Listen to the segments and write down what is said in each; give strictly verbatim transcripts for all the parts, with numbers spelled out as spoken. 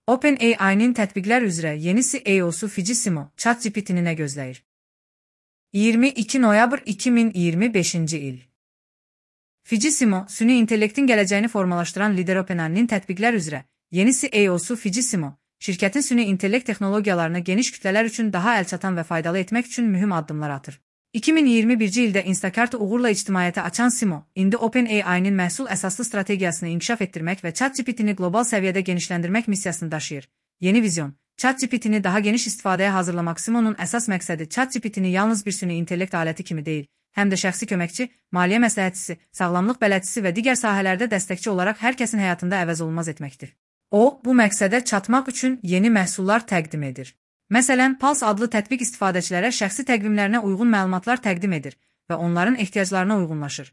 OpenAI'nin tətbiqlər üzrə yeni C E O'su Fiji Simo, ChatGPT'ni nə gözləyir? iyirmi iki noyabr iki min iyirmi beşinci il. Fiji Simo, süni intellektin gələcəyini formalaşdıran lider OpenAI'nin tətbiqlər üzrə yeni C E O'su Fiji Simo, şirkətin süni intellekt texnologiyalarını geniş kütlələr üçün daha əlçatan və faydalı etmək üçün mühüm addımlar atır. iki min iyirmi birinci ildə Instacart'ı uğurla ictimaiyyətə açan Simo, indi OpenAI'nin məhsul əsaslı strategiyasını inkişaf etdirmək və ChatGPT'ni qlobal səviyyədə genişləndirmək missiyasını daşıyır. Yeni vizyon, ChatGPT'ni daha geniş istifadəyə hazırlamaq. Simo'nun əsas məqsədi ChatGPT'ni yalnız bir süni intellekt aləti kimi deyil, həm də şəxsi köməkçi, maliyyə məsləhətçisi, sağlamlıq bələdçisi və digər sahələrdə dəstəkçi olaraq hər kəsin həyatında əvəz olunmaz etməkdir. O, bu məqsədə çatmaq üçün yeni məhsullar təqdim edir. Məsələn, Pulse adlı tətbiq istifadəçilərə şəxsi təqvimlərinə uyğun məlumatlar təqdim edir və onların ehtiyaclarına uyğunlaşır.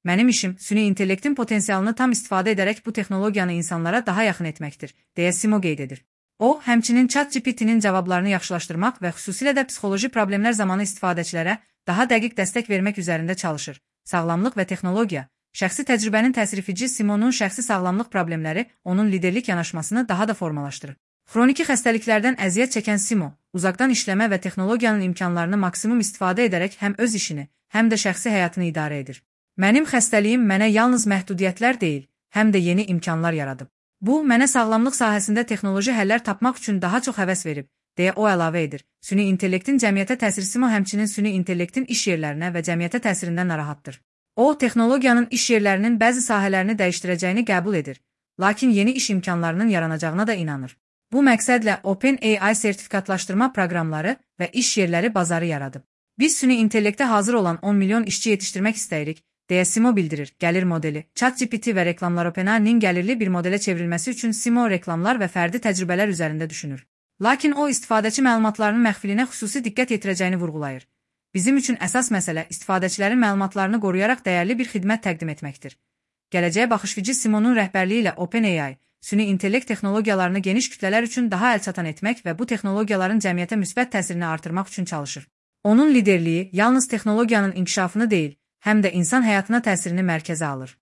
Mənim işim, süni intellektin potensialını tam istifadə edərək bu texnologiyanı insanlara daha yaxın etməkdir, deyə Simo qeyd edir. O, həmçinin ChatGPT'nin cavablarını yaxşılaşdırmaq və xüsusilə də psixoloji problemlər zamanı istifadəçilərə daha dəqiq dəstək vermək üzərində çalışır. Sağlamlıq və texnologiya, şəxsi təcrübənin təsiri. Fiji Simo'nun şəxsi sağlamlıq problemləri onun liderlik yanaşmasını daha da formalaşdırır. Xroniki xəstəliklərdən əziyyət çəkən Simo, uzaqdan işləmə və texnologiyanın imkanlarını maksimum istifadə edərək həm öz işini, həm də şəxsi həyatını idarə edir. Mənim xəstəliyim mənə yalnız məhdudiyyətlər deyil, həm də yeni imkanlar yaradıb. Bu, mənə sağlamlıq sahəsində texnoloji həllər tapmaq üçün daha çox həvəs verib, deyə o əlavə edir. Süni intellektin cəmiyyətə təsiri. Simo həmçinin süni intellektin iş yerlərinə və cəmiyyətə təsirindən narahatdır. O, texnologiyanın iş yerlərinin bəzi sahələrini dəyişdirəcəyini qəbul edir, lakin yeni iş imkanlarının yaranacağına da inanır. Bu məqsədlə OpenAI sertifikatlaşdırma proqramları və iş yerləri bazarı yaradıb. Biz süni intellektə hazır olan on milyon işçi yetişdirmək istəyirik, deyə Simo bildirir. Gəlir modeli, ChatGPT və reklamlar. OpenAI'nin gəlirli bir modelə çevrilməsi üçün Simo reklamlar və fərdi təcrübələr üzərində düşünür. Lakin o, istifadəçi məlumatlarının məxfiliyinə xüsusi diqqət yetirəcəyini vurğulayır. Bizim üçün əsas məsələ istifadəçilərin məlumatlarını qoruyaraq dəyərli bir xidmət təqdim etməkdir. Gələcəyə baxış. Fiji Simo'nun rəhbərliyi ilə OpenAI süni intellekt texnologiyalarını geniş kütlələr üçün daha əlçatan etmək və bu texnologiyaların cəmiyyətə müsbət təsirini artırmaq üçün çalışır. Onun liderliyi yalnız texnologiyanın inkişafını deyil, həm də insan həyatına təsirini mərkəzə alır.